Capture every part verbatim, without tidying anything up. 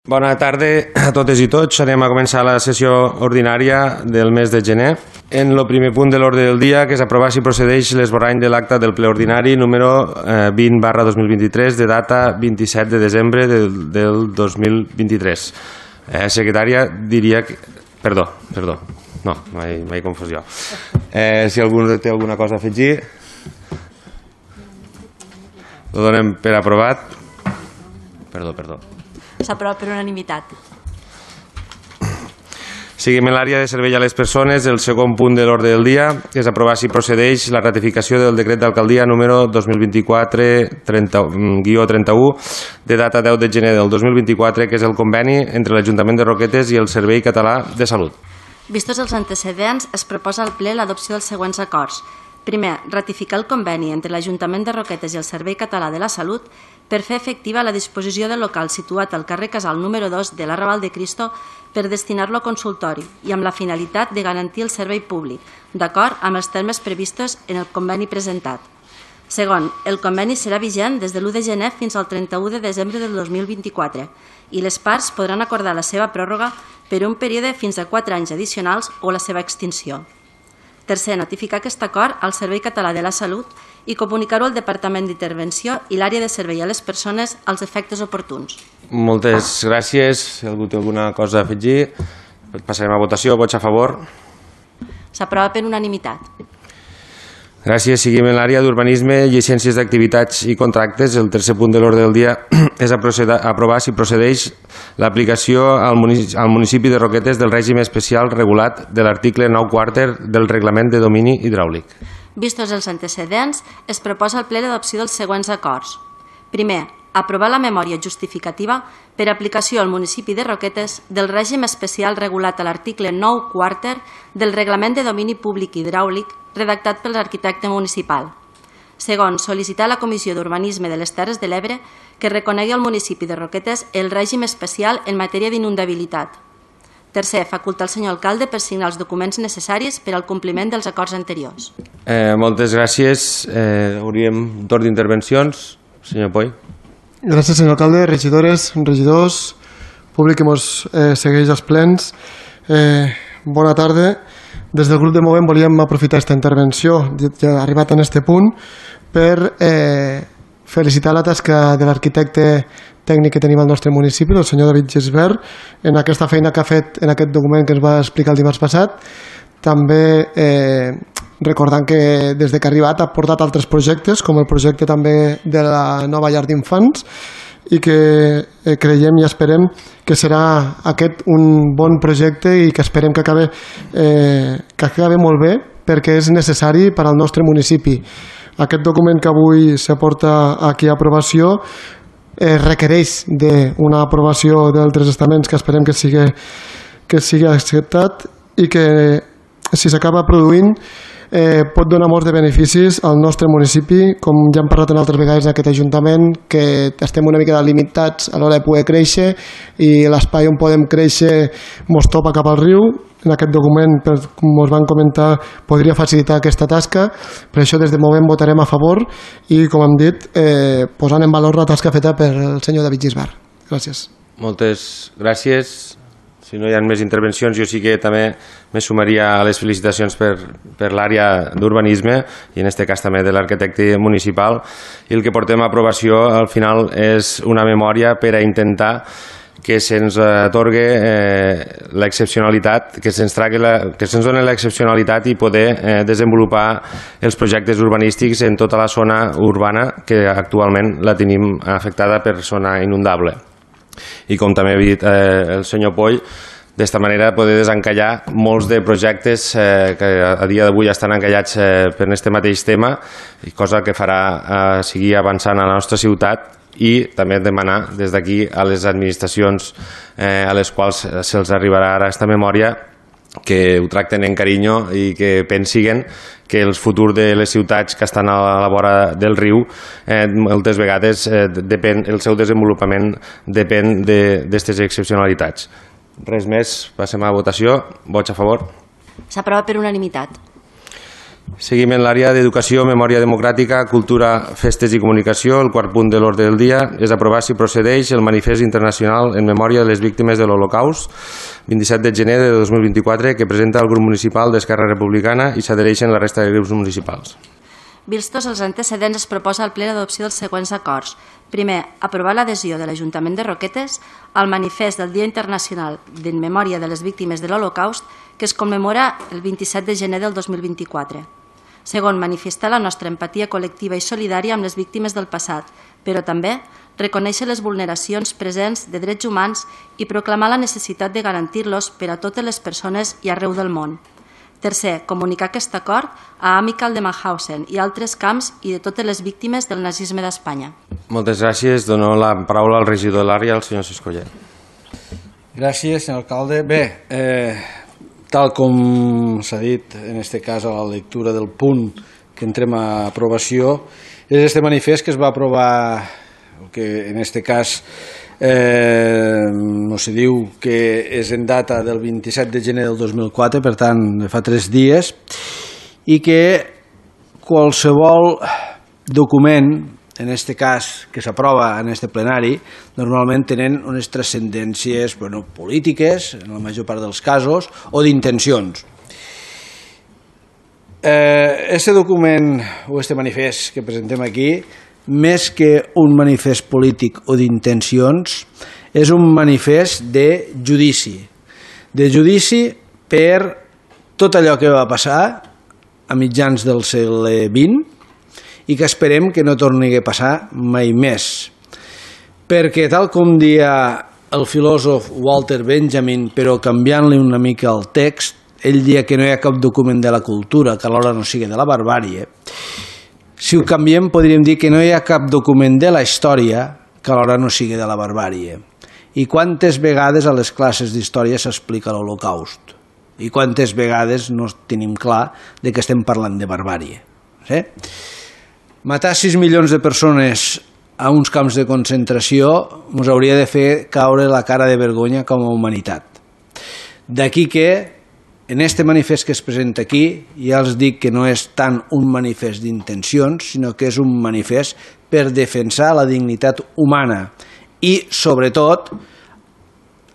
Bona tarda a totes i tots. Anem a començar la sessió ordinària del mes de gener. En el primer punt de l'ordre del dia, que és aprovar si procedeix l'esborrany de l'acta del ple ordinari número vint barra dos mil vint-i-tres de data vint-i-set de desembre del, del dos mil vint-i-tres. Eh, secretària, diria que... Perdó, perdó. No, m'he confós jo. Eh, si algú té alguna cosa a afegir, ho donem per aprovat. Perdó, perdó. S'aprova per unanimitat. Seguim en l'àrea de servei a les persones. El segon punt de l'ordre del dia és aprovar si procedeix la ratificació del decret d'alcaldia número dos mil vint-i-quatre guió trenta-u de data deu de gener del dos mil vint-i-quatre, que és el conveni entre l'Ajuntament de Roquetes i el Servei Català de Salut. Vistos els antecedents, es proposa al ple l'adopció dels següents acords. Primer, ratificar el conveni entre l'Ajuntament de Roquetes i el Servei Català de la Salut per fer efectiva la disposició del local situat al carrer Casal número dos de l'Arrabal de Cristo per destinar-lo a consultori i amb la finalitat de garantir el servei públic, d'acord amb els termes previstos en el conveni presentat. Segon, el conveni serà vigent des de l'u de gener fins al trenta-u de desembre del dos mil vint-i-quatre i les parts podran acordar la seva pròrroga per un període fins a quatre anys addicionals o la seva extinció. Tercer, notificar aquest acord al Servei Català de la Salut i comunicar-ho al Departament d'Intervenció i l'àrea de servei a les persones als efectes oportuns. Moltes gràcies. Si algú té alguna cosa a afegir, passarem a votació. Vots a favor? S'aprova per unanimitat. Gràcies. Seguim en l'àrea d'urbanisme, llicències d'activitats i contractes. El tercer punt de l'ordre del dia és aprovar si procedeix l'aplicació al municipi de Roquetes del règim especial regulat de l'article nou quàrter del reglament de domini hidràulic. Vistos els antecedents, es proposa al ple l'adopció dels següents acords. Primer, aprovar la memòria justificativa per aplicació al municipi de Roquetes del règim especial regulat a l'article nou quàrter del reglament de domini públic hidràulic redactat pel arquitecte municipal. Segon, sol·licitar a la Comissió d'Urbanisme de les Terres de l'Ebre que reconegui al municipi de Roquetes el règim especial en matèria d'inundabilitat. Tercer, facultar al senyor alcalde per signar els documents necessaris per al compliment dels acords anteriors. Eh, moltes gràcies. Eh, hauríem torn d'intervencions. Senyor Poi. Gràcies, senyor alcalde, regidores, regidors, públic que ens eh, segueix als plens. Eh, bona tarda. Des del grup de Movem volíem aprofitar aquesta intervenció, ja arribat en aquest punt, per eh, felicitar la tasca de l'arquitecte tècnic que tenim al nostre municipi, el senyor David Gisbert, en aquesta feina que ha fet en aquest document que ens va explicar el dimarts passat. També eh, recordant que des que ha arribat ha portat altres projectes, com el projecte també de la nova llar d'infants, i que eh, creiem i esperem que serà aquest un bon projecte i que esperem que acabi, eh, que acabi molt bé, perquè és necessari per al nostre municipi. Aquest document que avui s'aporta aquí a aprovació eh, requereix d'una aprovació d'altres estaments que esperem que sigui, que sigui acceptat i que si s'acaba produint eh, pot donar molts de beneficis al nostre municipi, com ja hem parlat en altres vegades en aquest Ajuntament, que estem una mica limitats a l'hora de poder créixer i l'espai on podem créixer mos topa cap al riu. En aquest document, com us van comentar, podria facilitar aquesta tasca. Per això des de Movem votarem a favor i, com hem dit, eh, posant en valor la tasca feta per el senyor David Gisbert. Gràcies. Moltes gràcies. Si no hi ha més intervencions, jo sí que també me sumaria a les felicitacions per, per l'àrea d'urbanisme i en aquest cas també de l'arquitecte municipal. I el que portem a aprovació al final és una memòria per a intentar que se'ns atorgue eh, l'excepcionalitat, que se'ns la, que se'ns doni l'excepcionalitat i poder eh, desenvolupar els projectes urbanístics en tota la zona urbana que actualment la tenim afectada per zona inundable. I com també ha dit eh, el senyor Poll, d'esta manera poder desencallar molts de projectes eh, que a dia d'avui estan encallats eh, per aquest mateix tema, cosa que farà eh, seguir avançant a la nostra ciutat i també demanar des d'aquí a les administracions eh, a les quals se'ls arribarà ara aquesta memòria que ho tracten en carinyo i que pensiguen que el futur de les ciutats que estan a la vora del riu eh, moltes vegades eh, depèn, el seu desenvolupament depèn d'aquestes excepcionalitats. Res més, passem a votació. Vots a favor? S'aprova per unanimitat. Seguim en l'àrea d'Educació, Memòria Democràtica, Cultura, Festes i Comunicació. El quart punt de l'ordre del dia és aprovar si procedeix el Manifest Internacional en Memòria de les Víctimes de l'Holocaust, vint-i-set de gener de dos mil vint-i-quatre, que presenta el grup municipal d'Esquerra Republicana i s'adhereixen la resta de grups municipals. Vistos els antecedents, es proposa al ple l'adopció dels següents acords. Primer, aprovar l'adhesió de l'Ajuntament de Roquetes al manifest del Dia Internacional en Memòria de les Víctimes de l'Holocaust, que es commemora el vint-i-set de gener del dos mil vint-i-quatre. Segon, manifestar la nostra empatia col·lectiva i solidària amb les víctimes del passat, però també reconèixer les vulneracions presents de drets humans i proclamar la necessitat de garantir-los per a totes les persones i arreu del món. Tercer, comunicar aquest acord a Amical de Mauthausen i altres camps i de totes les víctimes del nazisme d'Espanya. Moltes gràcies. Dono la paraula al regidor de l'àrea, el senyor Siscollet. Gràcies, senyor alcalde. Bé, eh, tal com s'ha dit, en aquest cas a la lectura del punt que entrem a aprovació, és este manifest que es va aprovar, que en aquest cas eh, no se diu que és en data del vint-i-set de gener del dos mil quatre, per tant, fa tres dies, i que qualsevol document, en aquest cas que s'aprova en aquest plenari, normalment tenen unes transcendències bueno, polítiques, en la major part dels casos, o d'intencions. Aquest eh, document o aquest manifest que presentem aquí, més que un manifest polític o d'intencions, és un manifest de judici. De judici per tot allò que va passar a mitjans del segle vint i que esperem que no torni a passar mai més. Perquè tal com dia el filòsof Walter Benjamin, però canviant-li una mica el text, ell dia que no hi ha cap document de la cultura que alhora no sigui de la barbàrie. Si ho canviem podríem dir que no hi ha cap document de la història que alhora no sigui de la barbàrie. I quantes vegades a les classes d'història s'explica l'Holocaust? I quantes vegades no tenim clar de que estem parlant de barbàrie? Sí? Matar sis milions de persones a uns camps de concentració ens hauria de fer caure la cara de vergonya com a humanitat. D'aquí que en este manifest que es presenta aquí, ja els dic que no és tant un manifest d'intencions, sinó que és un manifest per defensar la dignitat humana i, sobretot,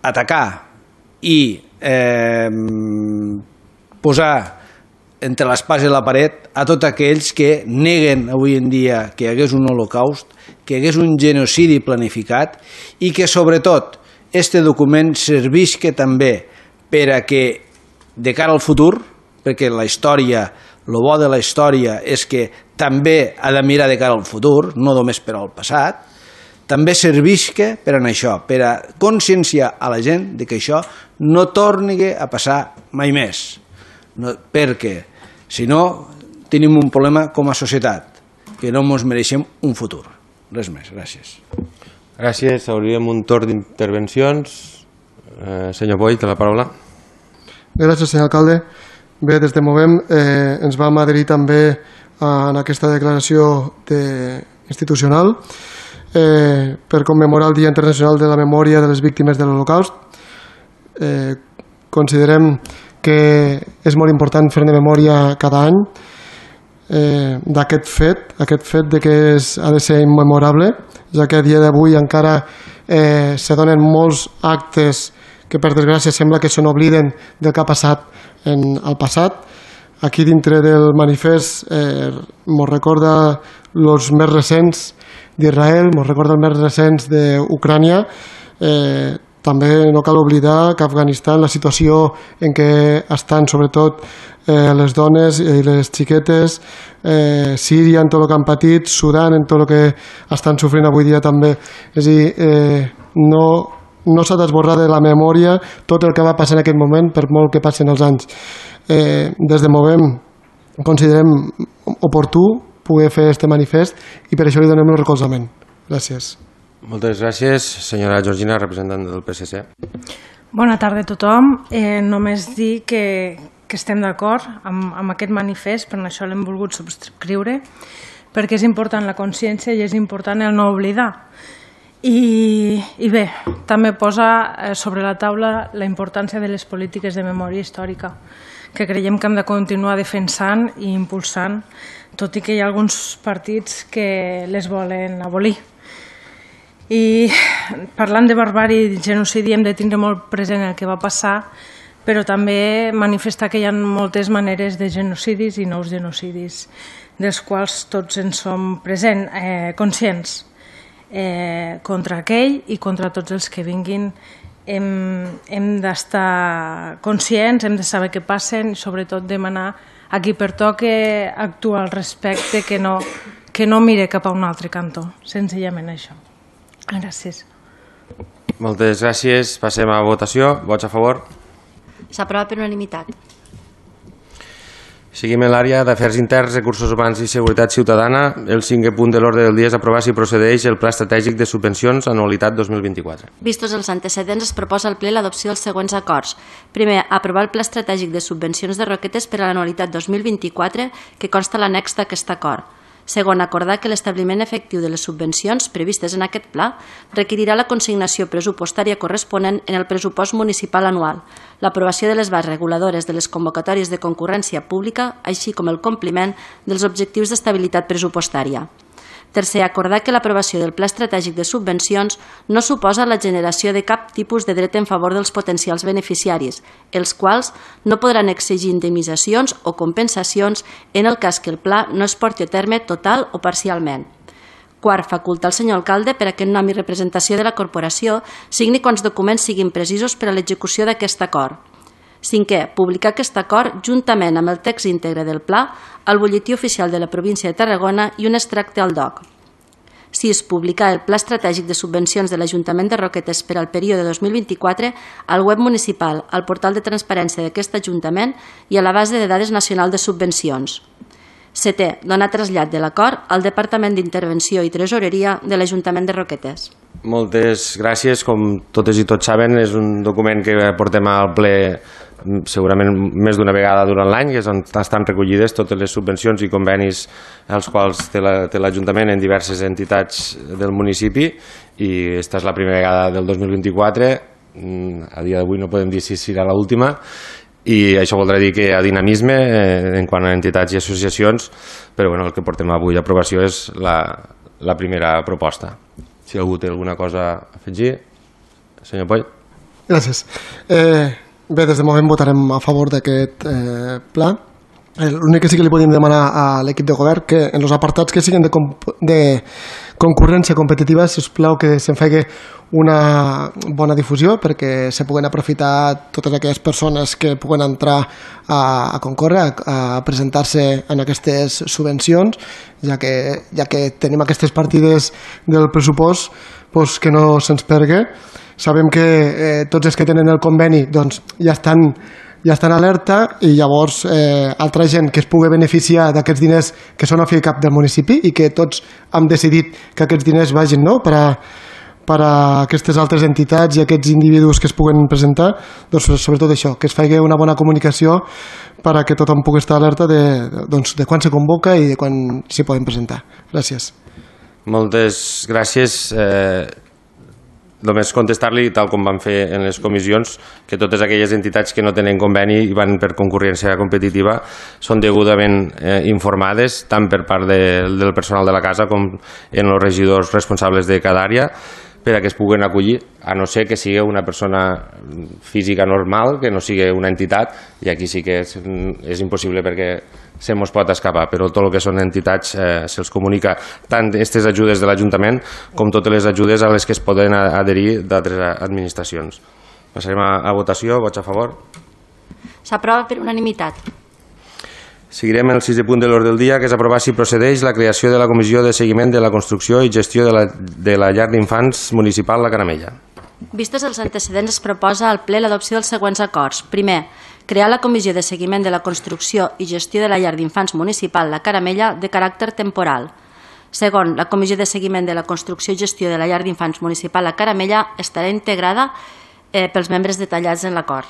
atacar i eh, posar entre l'espasa i la paret a tots aquells que neguen avui en dia que hi hagués un holocaust, que hi hagués un genocidi planificat i que, sobretot, este document servisca també per a que de cara al futur, perquè la història, el bo de la història és que també ha de mirar de cara al futur, no només per al passat, també servisca per a això, per a conscienciar a la gent de que això no torni a passar mai més, no, perquè si no tenim un problema com a societat, que no ens mereixem un futur. Res més, gràcies. Gràcies, obrirem un torn d'intervencions. Eh, senyor Boy, té la paraula. Gràcies, senyor alcalde. Bé, des de Movem eh, ens vam adherir també en aquesta declaració de, institucional eh, per commemorar el Dia Internacional de la Memòria de les Víctimes de l'Holocaust. Eh, considerem que és molt important fer-ne memòria cada any eh, d'aquest fet, aquest fet de que és, ha de ser immemorable, ja que a dia d'avui encara eh, se donen molts actes que per desgràcia sembla que se n'obliden del que ha passat en el passat. Aquí dintre del manifest eh, mos recorda els més recents d'Israel, mos recorda els més recents d'Ucrània. Eh, també no cal oblidar que Afganistan, la situació en què estan sobretot eh, les dones i les xiquetes, eh, Síria en tot el que han patit, Sudan en tot el que estan sofrint avui dia també. És a dir, eh, no... no s'ha d'esborrar de la memòria tot el que va passar en aquest moment, per molt que passen els anys. Eh, des de Movem considerem oportú poder fer aquest manifest i per això li donem el recolzament. Gràcies. Moltes gràcies. Senyora Georgina, representant del P S C. Bona tarda a tothom. Eh, només dir que, que estem d'acord amb, amb aquest manifest, per això l'hem volgut subscriure, perquè és important la consciència i és important el no oblidar. I, i bé, també posa sobre la taula la importància de les polítiques de memòria històrica, que creiem que hem de continuar defensant i impulsant, tot i que hi ha alguns partits que les volen abolir. I parlant de barbàrie i genocidi hem de tindre molt present el que va passar, però també manifestar que hi ha moltes maneres de genocidis i nous genocidis, dels quals tots en som present, eh, conscients, eh, contra aquell i contra tots els que vinguin. Hem, hem d'estar conscients, hem de saber què passen i sobretot demanar a qui pertoque actuar al respecte, que no, que no mire cap a un altre cantó, senzillament això. Gràcies. Moltes gràcies. Passem a votació. Vots a favor? S'aprova per unanimitat. Seguim en l'àrea d'Afers Interns, Recursos Humans i Seguretat Ciutadana. El cinquè punt de l'ordre del dia és aprovar si procedeix el Pla Estratègic de Subvencions anualitat dos mil vint-i-quatre. Vistos els antecedents, es proposa al ple l'adopció dels següents acords. Primer, aprovar el Pla Estratègic de Subvencions de Roquetes per a l'anualitat dos mil vint-i-quatre, que consta l'annex d'aquest acord. Segon, acordar que l'establiment efectiu de les subvencions previstes en aquest pla requerirà la consignació pressupostària corresponent en el pressupost municipal anual, l'aprovació de les bases reguladores de les convocatòries de concurrència pública, així com el compliment dels objectius d'estabilitat pressupostària. Tercer, acordar que l'aprovació del Pla Estratègic de Subvencions no suposa la generació de cap tipus de dret en favor dels potencials beneficiaris, els quals no podran exigir indemnitzacions o compensacions en el cas que el pla no es porti a terme total o parcialment. Quart, facultar al senyor alcalde per a que en nom i representació de la corporació signi quants documents siguin precisos per a l'execució d'aquest acord. Cinquè, publicar aquest acord juntament amb el text íntegre del pla al butlletí oficial de la província de Tarragona i un extracte al D O C. Sis, publicar el Pla Estratègic de Subvencions de l'Ajuntament de Roquetes per al període dos mil vint-i-quatre al web municipal, al portal de transparència d'aquest Ajuntament i a la base de dades nacional de subvencions. Setè, donar trasllat de l'acord al Departament d'Intervenció i Tresoreria de l'Ajuntament de Roquetes. Moltes gràcies. Com totes i tots saben, és un document que portem al ple segurament més d'una vegada durant l'any, que és on estan recollides totes les subvencions i convenis als quals té l'Ajuntament en diverses entitats del municipi, i aquesta és la primera vegada del dos mil vint-i-quatre. A dia d'avui no podem dir si serà l'última, i això voldrà dir que hi ha dinamisme en quant a entitats i associacions, però bueno, el que portem avui a aprovació és la, la primera proposta. Si algú té alguna cosa a afegir. Senyor Poll. Gràcies. Eh, bé, des de moment votarem a favor d'aquest eh, pla. L'únic que sí que li podem demanar a l'equip de govern que en els apartats que siguin de, de concurrència competitiva, si us plau, que se'n faci una bona difusió perquè se puguen aprofitar totes aquelles persones que puguen entrar a, a concórrer, a, a presentar-se en aquestes subvencions, ja que, ja que tenim aquestes partides del pressupost, doncs que no se'ns perdi. Sabem que eh, tots els que tenen el conveni doncs, ja estan ja estan alerta, i llavors eh, altra gent que es pugui beneficiar d'aquests diners que són a fi cap del municipi i que tots hem decidit que aquests diners vagin, no?, per a, per a aquestes altres entitats i aquests individus que es puguen presentar, doncs sobretot això, que es faci una bona comunicació per a que tothom pugui estar alerta de, doncs, de quan se convoca i de quan s'hi poden presentar. Gràcies. Moltes gràcies. Eh... Només contestar-li, tal com vam fer en les comissions, que totes aquelles entitats que no tenen conveni i van per concurrència competitiva són degudament eh, informades, tant per part de, del personal de la casa com en els regidors responsables de cada àrea, per a que es puguen acollir, a no ser que sigui una persona física normal, que no sigui una entitat, i aquí sí que és, és impossible perquè se mos pot escapar, però tot el que són entitats eh, se'ls comunica tant aquestes ajudes de l'Ajuntament com totes les ajudes a les que es poden adherir d'altres administracions. Passarem a, a votació. Vots a favor? S'aprova per unanimitat. Seguirem el sisè punt de l'ordre del dia, que és aprovar si procedeix la creació de la Comissió de Seguiment de la Construcció i Gestió de la, de la Llar d'Infants Municipal La Caramella. Vistos els antecedents, es proposa al ple l'adopció dels següents acords. Primer, crear la Comissió de Seguiment de la Construcció i Gestió de la Llar d'Infants Municipal La Caramella de caràcter temporal. Segon, la Comissió de Seguiment de la Construcció i Gestió de la Llar d'Infants Municipal La Caramella estarà integrada eh, pels membres detallats en l'acord.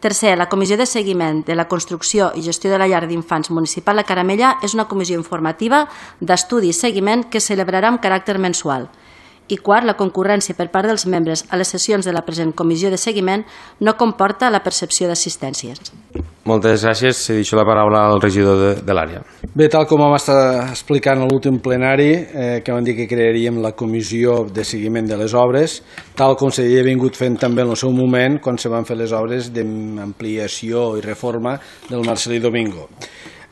Tercer, la Comissió de Seguiment de la Construcció i Gestió de la Llar d'Infants Municipal La Caramella és una comissió informativa d'estudi i seguiment que es celebrarà amb caràcter mensual. I quart, la concurrència per part dels membres a les sessions de la present comissió de seguiment no comporta la percepció d'assistències. Moltes gràcies. Se deixo la paraula al regidor de, de l'àrea. Bé, tal com vam estar explicant a l'últim plenari, eh, que vam dir que crearíem la comissió de seguiment de les obres, tal com s'havia vingut fent també en el seu moment quan se van fer les obres d'ampliació i reforma del Marcelí Domingo.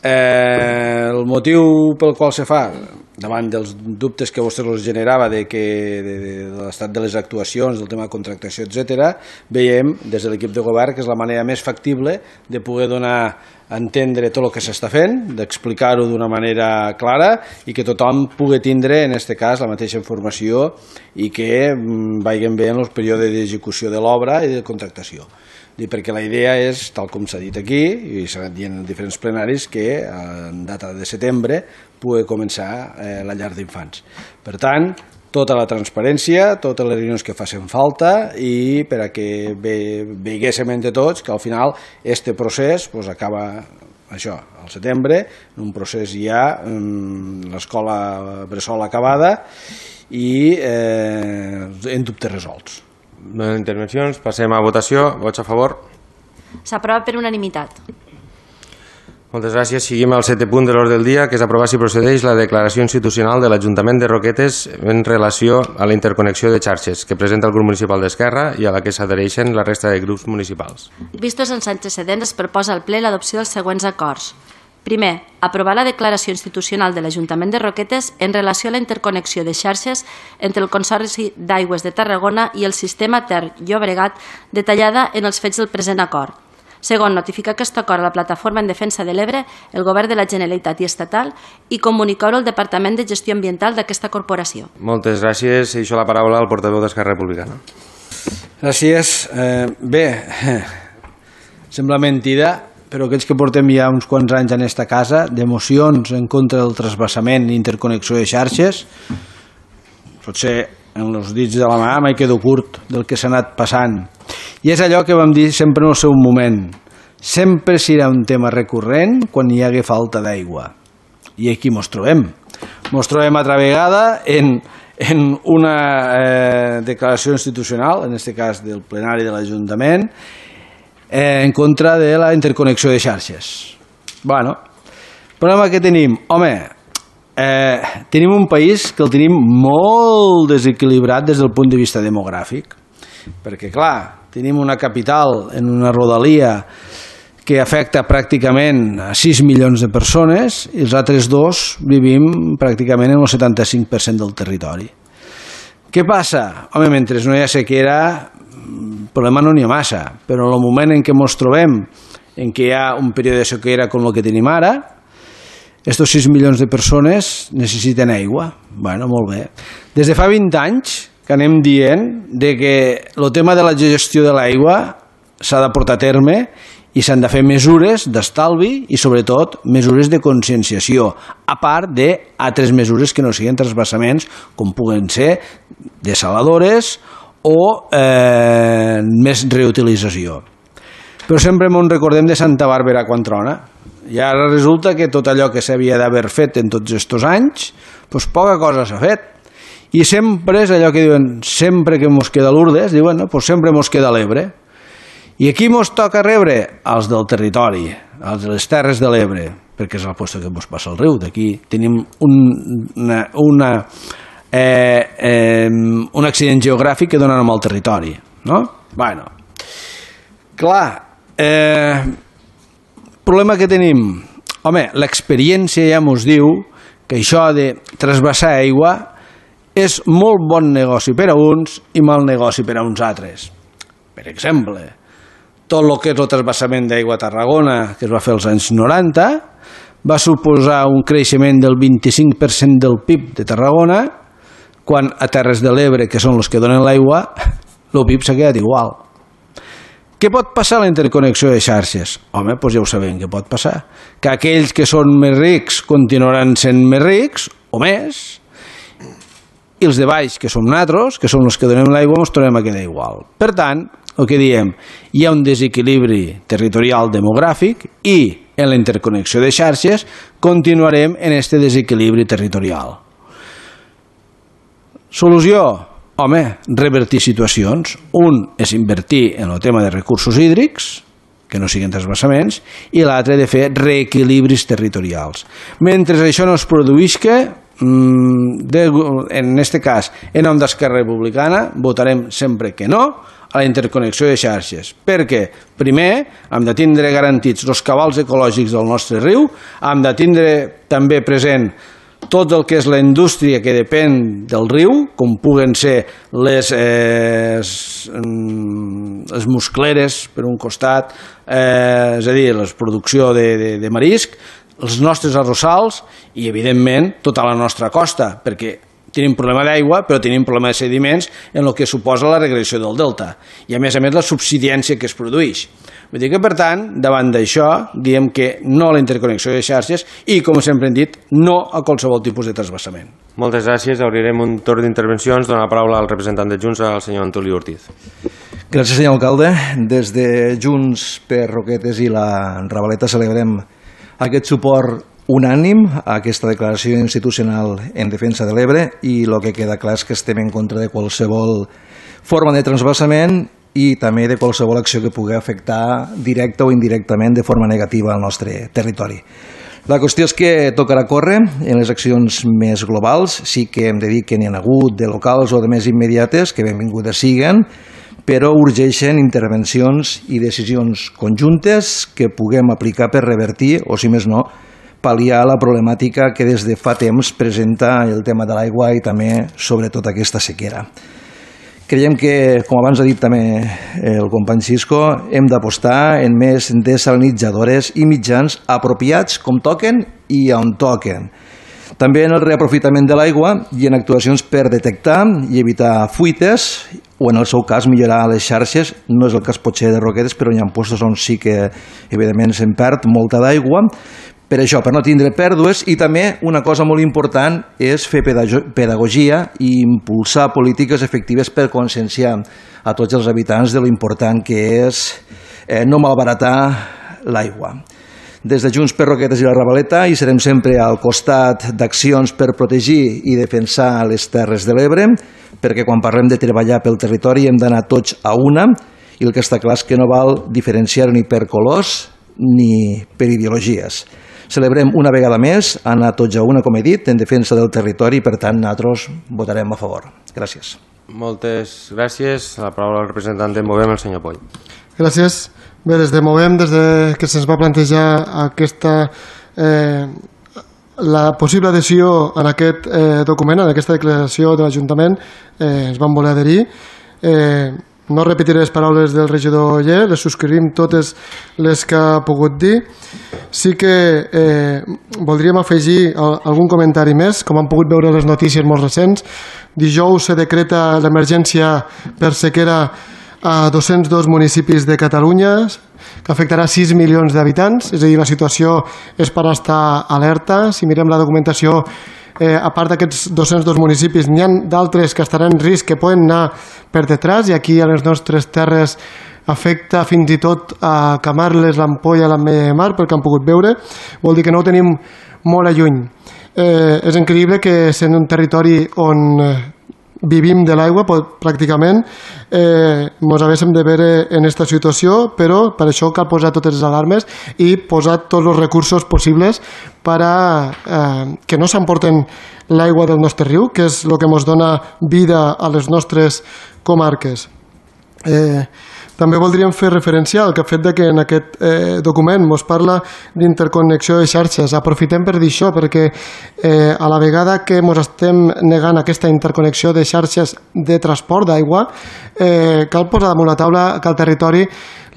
Eh, el motiu pel qual se fa, davant dels dubtes que a vostès els generava de, que, de, de, de l'estat de les actuacions, del tema de contractació, etcètera, veiem des de l'equip de govern que és la manera més factible de poder donar a entendre tot el que s'està fent, d'explicar-ho d'una manera clara i que tothom pugui tindre, en aquest cas, la mateixa informació i que vagin bé en el període d'execució de l'obra i de contractació. Perquè la idea és, tal com s'ha dit aquí, i s'ha anat dient en diferents plenaris, que en data de setembre pugui començar eh, la llar d'infants. Per tant, tota la transparència, totes les reunions que facin falta i per a que ve, veiguéssim entre tots que al final este procés pues, acaba això, al setembre, un procés ja l'escola bressol acabada i eh, en dubtes resolts. No hi ha intervencions, passem a votació. Vots a favor? S'aprova per unanimitat. Moltes gràcies. Seguim al setè punt de l'ordre del dia, que és aprovar si procedeix la declaració institucional de l'Ajuntament de Roquetes en relació a la interconnexió de xarxes que presenta el grup municipal d'Esquerra i a la que s'adhereixen la resta de grups municipals. Vistos els antecedents, es proposa al ple l'adopció dels següents acords. Primer, aprovar la declaració institucional de l'Ajuntament de Roquetes en relació a la interconnexió de xarxes entre el Consorci d'Aigües de Tarragona i el sistema Ter-Llobregat detallada en els fets del present acord. Segon, notificar aquest acord a la Plataforma en Defensa de l'Ebre, el Govern de la Generalitat i Estatal i comunicar-ho al Departament de Gestió Ambiental d'aquesta corporació. Moltes gràcies. Deixo la paraula al portaveu d'Esquerra Republicana. Gràcies. Eh, bé, sembla mentida, però aquells que portem ja uns quants anys en aquesta casa, d'emocions en contra del trasbassament i interconnexió de xarxes, potser en els dits de la mà mai quedo curt del que s'ha anat passant. I és allò que vam dir sempre en el seu moment. Sempre serà un tema recurrent quan hi hagi falta d'aigua. I aquí mos trobem. Mos trobem altra vegada en, en una eh, declaració institucional, en aquest cas del plenari de l'Ajuntament, Eh, en contra de la interconnexió de xarxes. Bueno, el problema que tenim, home, eh, tenim un país que el tenim molt desequilibrat des del punt de vista demogràfic, perquè clar, tenim una capital en una rodalia que afecta pràcticament a sis milions de persones i els altres dos vivim pràcticament en el setanta-cinc per cent del territori. Què passa? Home, mentre no hi ha sequera, el problema no n'hi ha massa, però en el moment en què ens trobem, en què hi ha un període de sequera com el que tenim ara, estos sis milions de persones necessiten aigua. Bueno, molt bé. Des de fa vint anys que anem dient de que el tema de la gestió de l'aigua s'ha de portar a terme i s'han de fer mesures d'estalvi i sobretot mesures de conscienciació, a part d'altres mesures que no siguin transvasaments com puguen ser desaladores o eh, més reutilització. Però sempre ens recordem de Santa Bàrbara quan trona. I ara resulta que tot allò que s'havia d'haver fet en tots aquests anys, doncs poca cosa s'ha fet. I sempre és allò que diuen, sempre que mos queda Lourdes, diuen, no, doncs sempre mos queda l'Ebre. I aquí mos toca rebre els del territori, els de les Terres de l'Ebre, perquè és el lloc que mos passa el riu. D'aquí tenim un, una... una Eh, eh, un accident geogràfic que dona nom al territori, no? Bueno, clar, eh, problema que tenim, home, l'experiència ja mos diu que això de trasbassar aigua és molt bon negoci per a uns i mal negoci per a uns altres. Per exemple, tot el que és el trasbassament d'aigua a Tarragona, que es va fer als anys noranta, va suposar un creixement del vint-i-cinc per cent del P I B de Tarragona, quan a Terres de l'Ebre, que són els que donen l'aigua, el P I B s'ha quedat igual. Què pot passar a la interconnexió de xarxes? Home, doncs ja ho sabem què pot passar. Que aquells que són més rics continuaran sent més rics, o més, i els de baix, que som nosaltres, que som els que donem l'aigua, ens tornem a quedar igual. Per tant, el que diem, hi ha un desequilibri territorial demogràfic i en la interconnexió de xarxes continuarem en aquest desequilibri territorial. Solució? Home, revertir situacions. Un és invertir en el tema de recursos hídrics, que no siguin transvasaments, i l'altre de fer reequilibris territorials. Mentre això no es produís, que de, en aquest cas, en nom d'Esquerra Republicana, votarem sempre que no a la interconnexió de xarxes, perquè, primer, hem de tindre garantits els cabals ecològics del nostre riu, hem de tindre també present tot el que és la indústria que depèn del riu, com puguen ser les, eh, les muscleres, per un costat, eh, és a dir, la producció de, de, de marisc, els nostres arrossals i, evidentment, tota la nostra costa, perquè tenim problema d'aigua, però tenim problema de sediments en el que suposa la regressió del delta i, a més a més, la subsidència que es produeix. Vull dir que, per tant, davant d'això, diem que no a la interconnexió de xarxes i, com sempre hem dit, no a qualsevol tipus de transvasament. Moltes gràcies. Obrirem un torn d'intervencions. Dono la paraula al representant de Junts, al senyor Antoni Ortiz. Gràcies, senyor alcalde. Des de Junts per Roquetes i la Ravaleta celebrem aquest suport unànim a aquesta declaració institucional en defensa de l'Ebre i el que queda clar és que estem en contra de qualsevol forma de transvasament i també de qualsevol acció que pugui afectar directa o indirectament de forma negativa al nostre territori. La qüestió és que tocarà córrer en les accions més globals, sí que hem de dir que n'hi ha hagut de locals o de més immediates, que benvingudes siguen, però urgeixen intervencions i decisions conjuntes que puguem aplicar per revertir, o si més no, pal·liar la problemàtica que des de fa temps presenta el tema de l'aigua i també, sobretot, aquesta sequera. Creiem que, com abans ha dit també el company Cisco, hem d'apostar en més desalinitzadores i mitjans apropiats com toquen i on toquen. També en el reaprofitament de l'aigua i en actuacions per detectar i evitar fuites o, en el seu cas, millorar les xarxes. No és el cas potser de Roquetes, però hi ha postos on sí que, evidentment, se'n perd molta d'aigua. Per això, per no tindre pèrdues, i també una cosa molt important és fer pedagogia i impulsar polítiques efectives per conscienciar a tots els habitants de lo important que és eh, no malbaratar l'aigua. Des de Junts per Roquetes i la Ravaleta hi serem sempre al costat d'accions per protegir i defensar les terres de l'Ebre, perquè quan parlem de treballar pel territori hem d'anar tots a una, i el que està clar és que no val diferenciar ni per colors ni per ideologies. Celebrem una vegada més, anar tots a una, com he dit, en defensa del territori i, per tant, nosaltres votarem a favor. Gràcies. Moltes gràcies. La paraula al representant de Movem, el senyor Poll. Gràcies. Bé, des de Movem, des de que se'ns va plantejar aquesta, eh, la possible adhesió en aquest eh, document, en aquesta declaració de l'Ajuntament, eh, ens vam voler adherir. Eh, no repetiré les paraules del regidor Oller, les subscrivim totes les que ha pogut dir. Sí que eh, voldríem afegir algun comentari més. Com han pogut veure les notícies molt recents, dijous se decreta l'emergència per sequera a dos-cents dos municipis de Catalunya, que afectarà sis milions d'habitants, és a dir, la situació és per estar alerta. Si mirem la documentació, eh, a part d'aquests dos-cents dos municipis, n'hi ha d'altres que estaran en risc, que poden anar per detrás, i aquí a les nostres terres afecta fins i tot a Camarles, l'Ampolla, l'Ametlla de Mar, pel que han pogut veure. Vol dir que no ho tenim molt a lluny. Eh, és increïble que sent un territori on vivim de l'aigua pràcticament, eh, ens haguéssim de veure en aquesta situació, però per això cal posar totes les alarmes i posar tots els recursos possibles per a eh, que no s'emporten l'aigua del nostre riu, que és el que ens dona vida a les nostres comarques. Eh, També voldríem fer referència al fet de que en aquest eh, document ens parla d'interconnexió de xarxes. Aprofitem per dir això, perquè eh, a la vegada que ens estem negant aquesta interconnexió de xarxes de transport d'aigua, eh, cal posar damunt la taula que al territori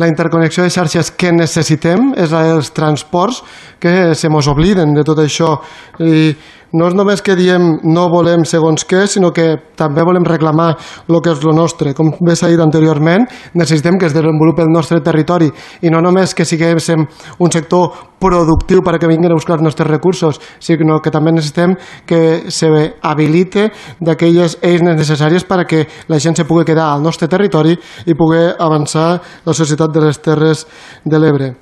la interconnexió de xarxes que necessitem és la dels transports, que se mos obliden de tot això. I no és només que diem no volem segons què, sinó que també volem reclamar el que és el nostre. Com bé s'ha dit anteriorment, necessitem que es desenvolupi el nostre territori i no només que siguem un sector productiu perquè vinguin a buscar els nostres recursos, sinó que també necessitem que s'habilite d'aquelles eines necessàries perquè la gent se pugui quedar al nostre territori i pugui avançar la societat de les Terres de l'Ebre.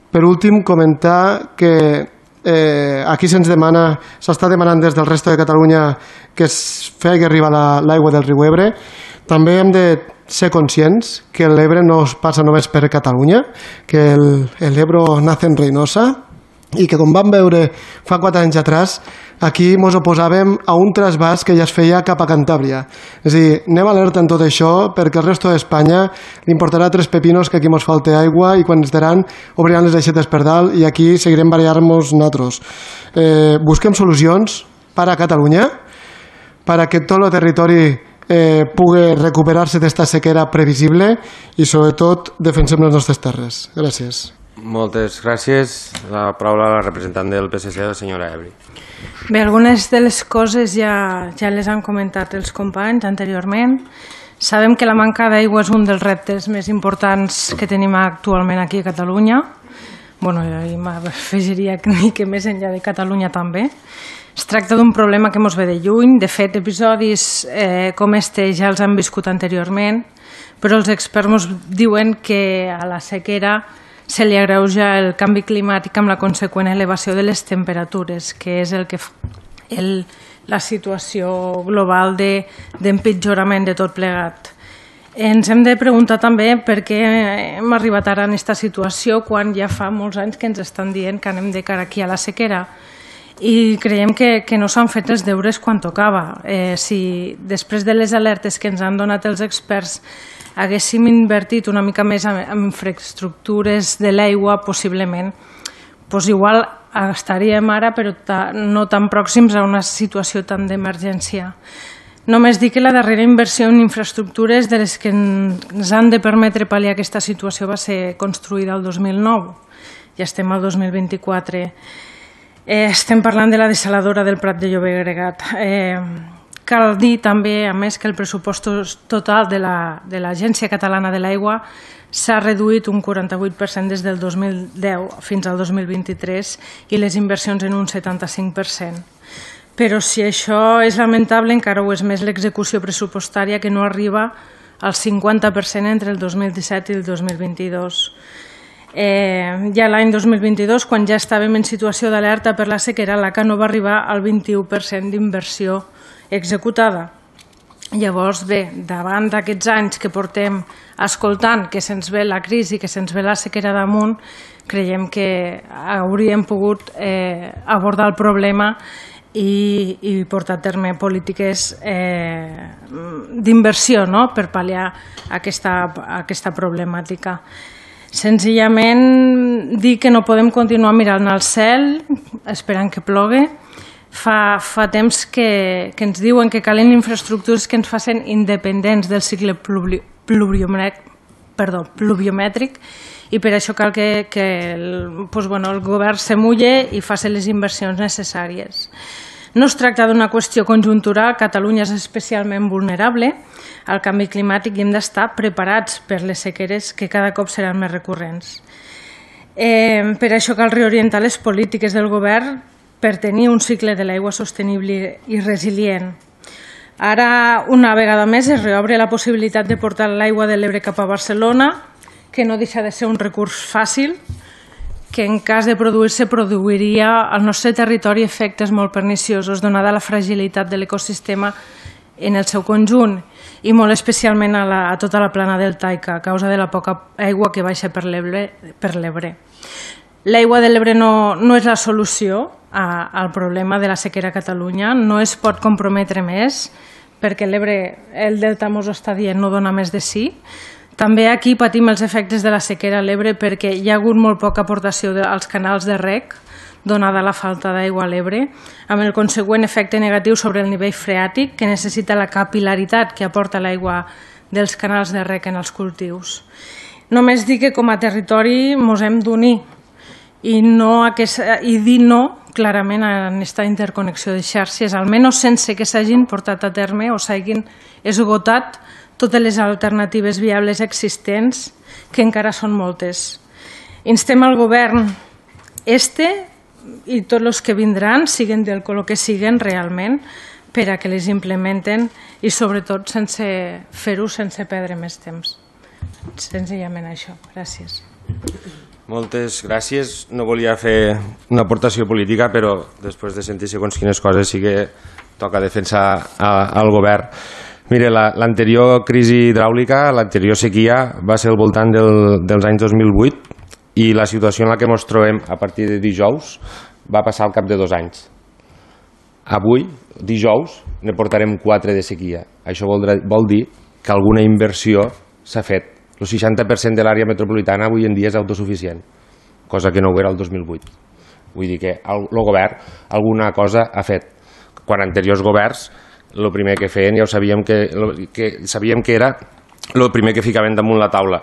Per últim, comentar que Eh, aquí se'ns demana, s'està demanant des del resto de Catalunya que es faci arribar l'aigua del riu Ebre. també hem de ser conscients que l'Ebre no es passa només per Catalunya, que l'Ebro nace en Reynosa i que, com vam veure fa quatre anys atrás, aquí ens oposàvem a un trasbàs que ja es feia cap a Cantàbria. És a dir, anem alerta en tot això perquè el resto d'Espanya li importarà tres pepinos que aquí ens falte aigua i quan ens daran obriran les aixetes per dalt i aquí seguirem barallar-nos nosaltres. Eh, busquem solucions per a Catalunya perquè tot el territori eh, pugui recuperar-se d'esta sequera previsible i sobretot defensem les nostres terres. Gràcies. Moltes gràcies. La paraula a la representant del P S C, la senyora Ebri. Bé, algunes de les coses ja, ja les han comentat els companys anteriorment. Sabem que la manca d'aigua és un dels reptes més importants que tenim actualment aquí a Catalunya. Bueno, i m'afegiria que més enllà de Catalunya també. Es tracta d'un problema que ens ve de lluny. De fet, episodis eh, com este ja els han viscut anteriorment, però els experts ens diuen que a la sequera se li agreuja el canvi climàtic amb la conseqüent elevació de les temperatures, que és el que fa el, la situació global d'empitjorament de, de tot plegat. Ens hem de preguntar també per què hem arribat ara en aquesta situació quan ja fa molts anys que ens estan dient que anem de cara aquí a la sequera. I creiem que, que no s'han fet els deures quan tocava. Eh, si després de les alertes que ens han donat els experts haguéssim invertit una mica més en infraestructures de l'aigua, possiblement, doncs igual estaríem ara, però no tan pròxims a una situació tan d'emergència. Només dic que la darrera inversió en infraestructures de les que ens han de permetre pal·liar aquesta situació va ser construïda el dos mil nou. Ja estem al dos mil vint-i-quatre. Eh, estem parlant de la dessaladora del Prat de Llobregat. Eh, Cal dir també, a més, que el pressupost total de l'Agència Catalana de l'Aigua s'ha reduït un quaranta-vuit per cent des del dos mil deu fins al dos mil vint-i-tres i les inversions en un setanta-cinc per cent. Però si això és lamentable, encara ho és més l'execució pressupostària que no arriba al cinquanta per cent entre el dos mil disset i el dos mil vint-i-dos. Eh, ja l'any dos mil vint-i-dos, quan ja estàvem en situació d'alerta per la sequera, l'A C A no va arribar al vint-i-u per cent d'inversió executada. Llavors, bé, davant d'aquests anys que portem escoltant que se'ns ve la crisi, que se'ns ve la sequera damunt, creiem que hauríem pogut eh, abordar el problema i, i portar a terme polítiques eh, d'inversió, no?, per pal·liar aquesta, aquesta problemàtica. Senzillament dir que no podem continuar mirant al cel esperant que plogui. Fa, fa temps que, que ens diuen que calen infraestructures que ens facin independents del cicle pluvi, pluviomètric, perdó, pluviomètric i per això cal que, que el, doncs, bueno, el govern se mulle i faci les inversions necessàries. No es tracta d'una qüestió conjuntural, Catalunya és especialment vulnerable al canvi climàtic i hem d'estar preparats per les sequeres que cada cop seran més recurrents. Eh, per això cal reorientar les polítiques del govern per tenir un cicle de l'aigua sostenible i resilient. Ara, una vegada més, es reobre la possibilitat de portar l'aigua de l'Ebre cap a Barcelona, que no deixa de ser un recurs fàcil, que en cas de produir-se produiria al nostre territori efectes molt perniciosos, donada la fragilitat de l'ecosistema en el seu conjunt i molt especialment a, la, a tota la plana del Taica, a causa de la poca aigua que baixa per l'Ebre. L'aigua de l'Ebre no, no és la solució a, al problema de la sequera a Catalunya, no es pot comprometre més perquè l'Ebre, el delta mos està dient, no dona més de sí. També aquí patim els efectes de la sequera a l'Ebre perquè hi ha hagut molt poca aportació de, als canals de reg, donada la falta d'aigua a l'Ebre, amb el consegüent efecte negatiu sobre el nivell freàtic que necessita la capil·laritat que aporta l'aigua dels canals de reg en els cultius. Només dir que com a territori ens hem d'unir i, no aquesta, i dir no clarament en aquesta interconnexió de xarxes, almenys sense que s'hagin portat a terme o s'hagin esgotat totes les alternatives viables existents, que encara són moltes. Instem al govern este i tots els que vindran, siguen del color que siguen realment, per a que les implementen i sobretot sense fer-ho sense perdre més temps. Senzillament això. Gràcies. Moltes gràcies. No volia fer una aportació política, però després de sentir segons quines coses sí que toca defensar al govern. Mire, l'anterior crisi hidràulica, l'anterior sequia, va ser al voltant del, dels anys dos mil vuit i la situació en la que ens trobem a partir de dijous va passar al cap de dos anys. Avui, dijous, ne portarem quatre de sequia. Això vol, vol dir que alguna inversió s'ha fet. El seixanta per cent de l'àrea metropolitana avui en dia és autosuficient, cosa que no ho era el dos mil vuit. Vull dir que el, el govern alguna cosa ha fet. Quan anteriors governs, el primer que feien ja ho sabíem que, que, sabíem que era el primer que ficaven damunt la taula.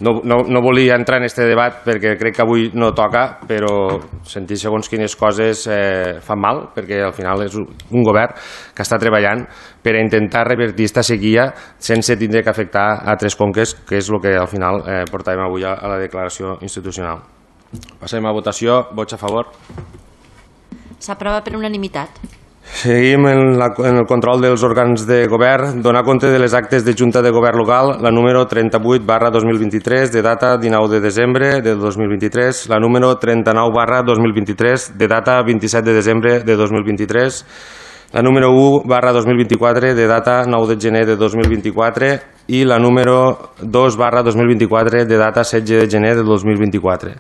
No, no, no volia entrar en aquest debat perquè crec que avui no toca, però sentir segons quines coses eh, fan mal, perquè al final és un govern que està treballant per a intentar revertir aquesta sequia sense tindre que afectar a tres conques, que és el que al final eh, portàvem avui a, a la declaració institucional. Passem a votació. Vots a favor. S'aprova per unanimitat. Seguim en, la, en el control dels òrgans de govern. Donar compte de les actes de Junta de Govern Local, la número trenta-vuit barra dos mil vint-i-tres, de data dinou de desembre de dos mil vint-i-tres, la número trenta-nou barra dos mil vint-i-tres, de data vint-i-set de desembre de dos mil vint-i-tres, la número u barra dos mil vint-i-quatre, de data nou de gener de dos mil vint-i-quatre, i la número dos barra dos mil vint-i-quatre, de data setze de gener de dos mil vint-i-quatre.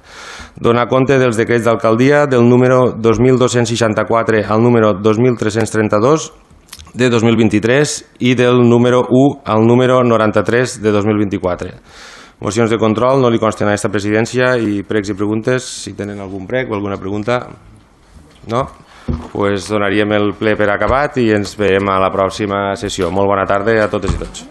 Donar compte dels decrets d'alcaldia del número dos mil dos-cents seixanta-quatre al número dos mil tres-cents trenta-dos de dos mil vint-i-tres i del número u al número noranta-tres de dos mil vint-i-quatre. Mocions de control no li consten a aquesta presidència i pregs i preguntes, si tenen algun prec o alguna pregunta. No? Pues donaríem el ple per acabat i ens veiem a la pròxima sessió. Molt bona tarda a totes i tots.